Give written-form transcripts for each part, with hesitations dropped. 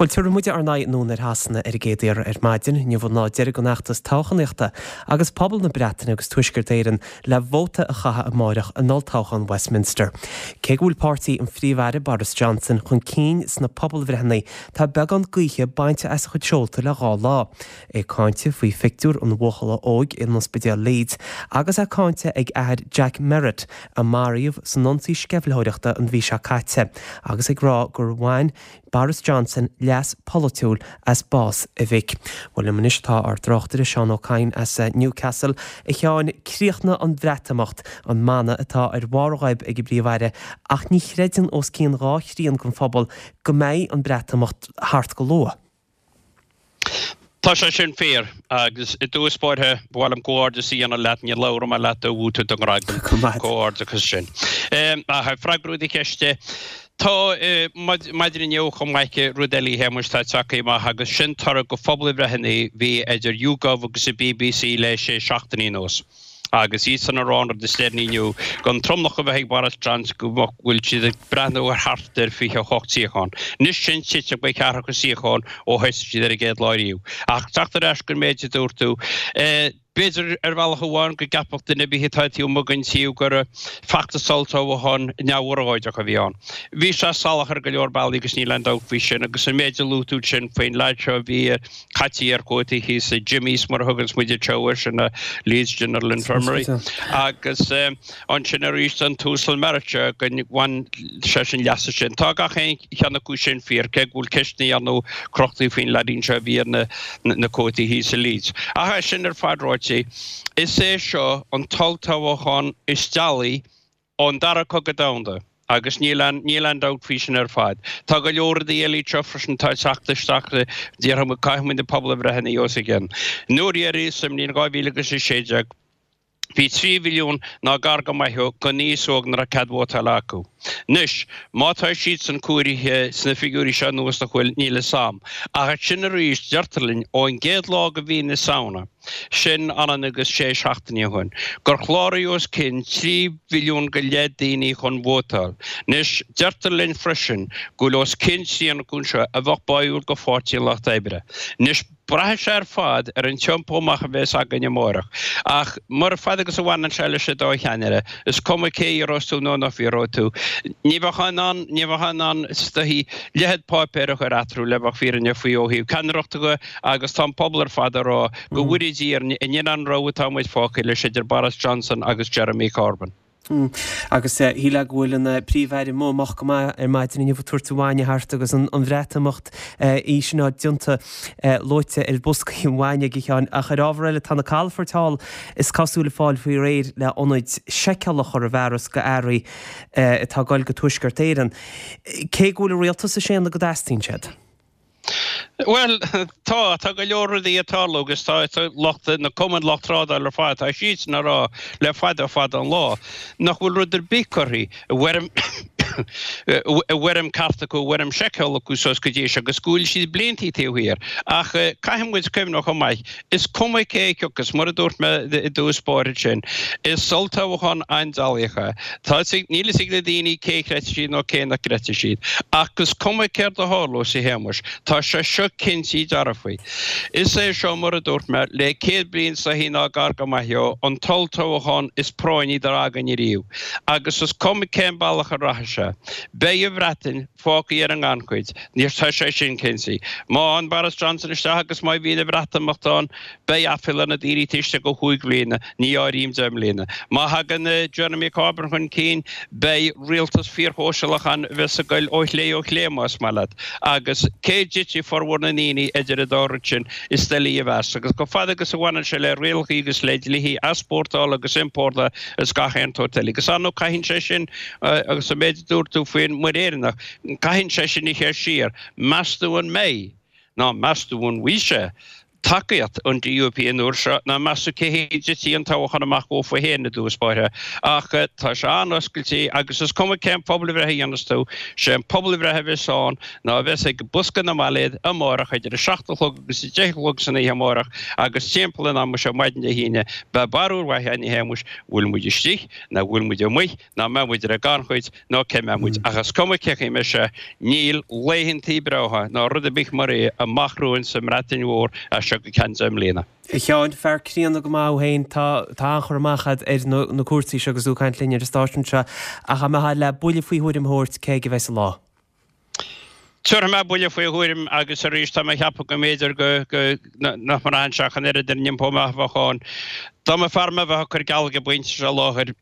Bhuel, tabharfaidh muid ár n-aghaidh anonn ar Shasana ar an gcéad iarraidh ar maidin. Inniu an lá deiridh den fheachtas toghchánaíochta agus pobal na Breataine agus Tuaisceart Éireann le vóta a chaitheamh amáireach in olltoghchán Westminster. Cé go bhfuil páirtí an Phríomh-Aire Boris Johnson chun cinn sna pobalbhreitheanna, tá beagán gaoithe bainte as a chuid seolta le dhá lá. É cáinte faoi phictiúr an bhuachalla óig in ospidéal Leeds agus é cáinte ag athair Jack Merritt a maraíodh san ionsaí sceimhlitheoireachta an mhí seo caite agus ag rá gur bhain Boris Johnson leas polaitiúil as bás a mhic. Bhuel liom anois tá ár dtráchtaire Seán Ó Cadhain as Newcastle. A Sheáin, críochnaigh an Bhreatimeacht, an mana atá ar bharr a ghoib ag an bPríomh-Aire ach ní chreideann os cionn dhá thrian den phobal go mbeidh an Breatimeacht thart go luath. Tá sé sin fíor, agus i dtús báire, ba mhaith liom comhghairdeas a dhéanamh leat, níor labhair mé leat ó bhuaigh tú do ghradam. Comhghairdeachas sin. Ach ag freagrú do cheiste, tá maidin inniu chomh maith rud eile a Shéamuis atá tagtha amach agus sin toradh go phobalbhreitheanna a bhí idir YouGov agus an BBC le sé seachtainí anuas. Agus iadsan ag rá an rud is deireanaí inniu, don tromlach a bheith ag Boris Johnson go bhfuil siad ag breathnú ar thart ar 28 suíochán. Anois sin tite go ceathracha suíochán ó thosaigh siad ar an gcéad lá riamh. Ach teacht ar ais gon méid a dúirt tú, b'fhéidir ar bhealach amháin go gceapfadh duine ar bith atá taobh amuigh den tír gur feachtas olltoghcháin neamhurchóideach a bhí ann. Bhí sé salach ar go leor bealaí agus níl aon dabht faoi sin agus an méid a luaigh tú ansin faoin leaid seo a bhí caití ar chótaí thíos i Jimmy's mar a thuganns muid anseo air sin na Leeds General Infirmary agus ansin arís an tUasal Merritt seo go bhain seisean leas as sin. Tá gach aon cheann acu sin fíor cé go bhfuil ceisteanna ar ndóigh crochtaí faoin leaidín seo a bhí ar na na cótaí thíos i Leeds. Ach é sin ar fad ráite, is é seo an t-olltoghchán is dealaí ón Dara Cogadh Domhanda, agus níl aon, níl aon dabht faoi sin ar fad. Tá go leor rudaí eile anseo freisin atá ag teacht isteach, déarfaidh muid, caithfidh muid na pobalbhreitheanna os a gcionn. An uair dheiridh, sa mbliain 2016, bhí 3 mhilliún ná gar go maith dhó den aos óg nach raibh cead vótála acu. Anois, má tá siadsan comhairithe sna figiúirí seo anuas nach bhfuil, níl fhios a'm. Ach ansin arís, deirtear linn, ón gcéad lá de mhí na Samhna, sin ionann agus sé seachtainí ó shin, gur chláraigh os cionn 3 mhilliún go leith daoine chun vótáil. Anois, deirtear linn freisin go bhfuil os cionn trian acu seo a bheadh báúil go Pháirtí an Lucht Oibre. Anois, braithfidh sé ar fad ar an tiompú amach a bheas againn amárach. Ach mar fad agus a bhaineann sé leis an dá cheannaire, is cuma cé a iarrós tú nó nach bhfiafróidh tú, ní bheifeá in ann, ní bheifeá in ann is dóichí leithead páipéir a chur eatarthu le bheith fírinneach faoi ó thaobh ceannaireachta de, Agus tá an pobal ar fad ag rá go bhfóire Dia orainn in an rogha atá muid fágtha leis idir Boris Johnson agus Jeremy Corbyn. Agus shílfeá go bhfuil an Príomh-Aire amuigh amach go maith ar maidin inniu ag tabhairt an bhainne thart agus an Bhreatimeacht í sin á déanta luaite ar bhoscaí an bhainne ag a Sheáin. Ach ar ábhar eile tá na calafoirt thall is cosúil ag fáil faoi réir le ionaid seiceála a chur i bhfearas go earraí atá ag goil go Tuaisceart Éireann. Cé go bhfuil an rialtas ag séanadh go dteastaíonn siad. Bhuel, tá, tá go leor rudaí ag tarlú agus tá lucht, na cumainn lucht trádála ar fad, tá siadsan ag rá le fada fada an lá nach bhfuil rud ar bith curtha i bhfoirm, i bhfoirm ceart acu, i bhfoirm seiceála acu suas go dtí seo agus go bhfuil siad bliantaí taobh thiar. Ach caithfidh muid cuimhneamh chomh maith, is cuma cé a thiocfas, mar a dúirt mé i dtús báire ansin, is olltoghchán an-dealaíoch é. Tá a fhios ag, níl a fhios ag na daoine cé a chreidfidh siad nó cé nach gcreidfidh siad. Ach is cuma céard a tharlós, a Shéamais, tá sé seo cinnte dearfa. Is é seo, mar a dúirt mé, le 100 bliain is dóichí ná gar go maith dhó, an t-olltoghchán is práinní dá raibh againn ariamh. Agus is cuma cén bealach a rachaidh sé, beidh an Bhreatain fágtha ar an ngannchuid. Tá sé sin cinnte. Má thagann Boris Johnson isteach agus má bhíonn an Bhreatimeacht ann, beidh aiféala ar na daoine taobh istigh de chúig bhliana, ní áirím 10 mbliana. Má thagann Jeremy Corbyn chun cinn, beidh rialtas fíorshóisialach ann a bheas ag goil ó chlé ó chlé, más maith leat. Agus cé a dtitfidh formhór na ndaoine idir an dá rud sin, is doiligh a mheas. Agus chomh fada agus a bhaineann sé le rialacha agus le dlíthe easpórtála agus iompórtála is gach aon tsórt eile. Agus ar ndóigh caitheann sé sin, agus an méid a dúirt tú faoin Muir Éireannach, caitheann sé sin a chur siar. Meas tú an mbeidh? Ná meas tú an bhfuil sé? Tacaíocht an DUP an uair seo ná meas tú cé hé a dtitfidh an toghchán amach dhófa féin i dtús báire. Ach tá sé an-oscailte agus is cuma cén pobalbhreith a dhéanas tú, sé an pobalbhreith a bheas ann ná a bheas ag bosca na mbailéad amárach idir 7 a chlog agus 10 a chlog san oíche amárach agus timpeall an ama seo maidin Dé hAoine beidh barúil mhaith againn a Shéamuis, bhfuil muid istigh nó bhfuil muid amuigh nó mbeidh muid ar an gannchuid nó cé mbeidh muid. Ach is cuma cé chaoi mbeidh sé, níl laethantaí breátha ná rud ar bith mar é amach romhainn sa mBreatain Mhór as seo go ceann 10 mbliana. A Sheáin, fear críonna go maith thú féin, tá an-chur amach agat ar na cúrsaí seo agus tú ag caint linn ar an stáisiún seo, ach dá mbeifeá le buille faoi thuairim a thabhairt, cé aige a bheas an lá? Tabharfaidh mé buille faoi thuairim agus arís tá mé ag ceapadh go mb'fhéidir go nach mbraitheann sé ach an oiread ar an iompó amach a bheadh ann. Dá mba fearr mé a bheith ag cur geall ag an bpointe seo i láthair,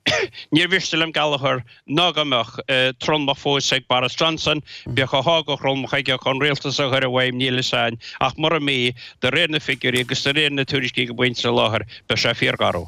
níor mhiste liom geall a chur ná go mbeadh tromlach fós ag Boris Johnson, bíodh a sháith de thromlach aige chun rialtas a chur i bhfeidhm, níl fhios a'inn, ach mura mbí, de réir na figiúirí agus de réir na tuairiscí ag an bpointe seo i láthair, beidh sé fíorgharbh.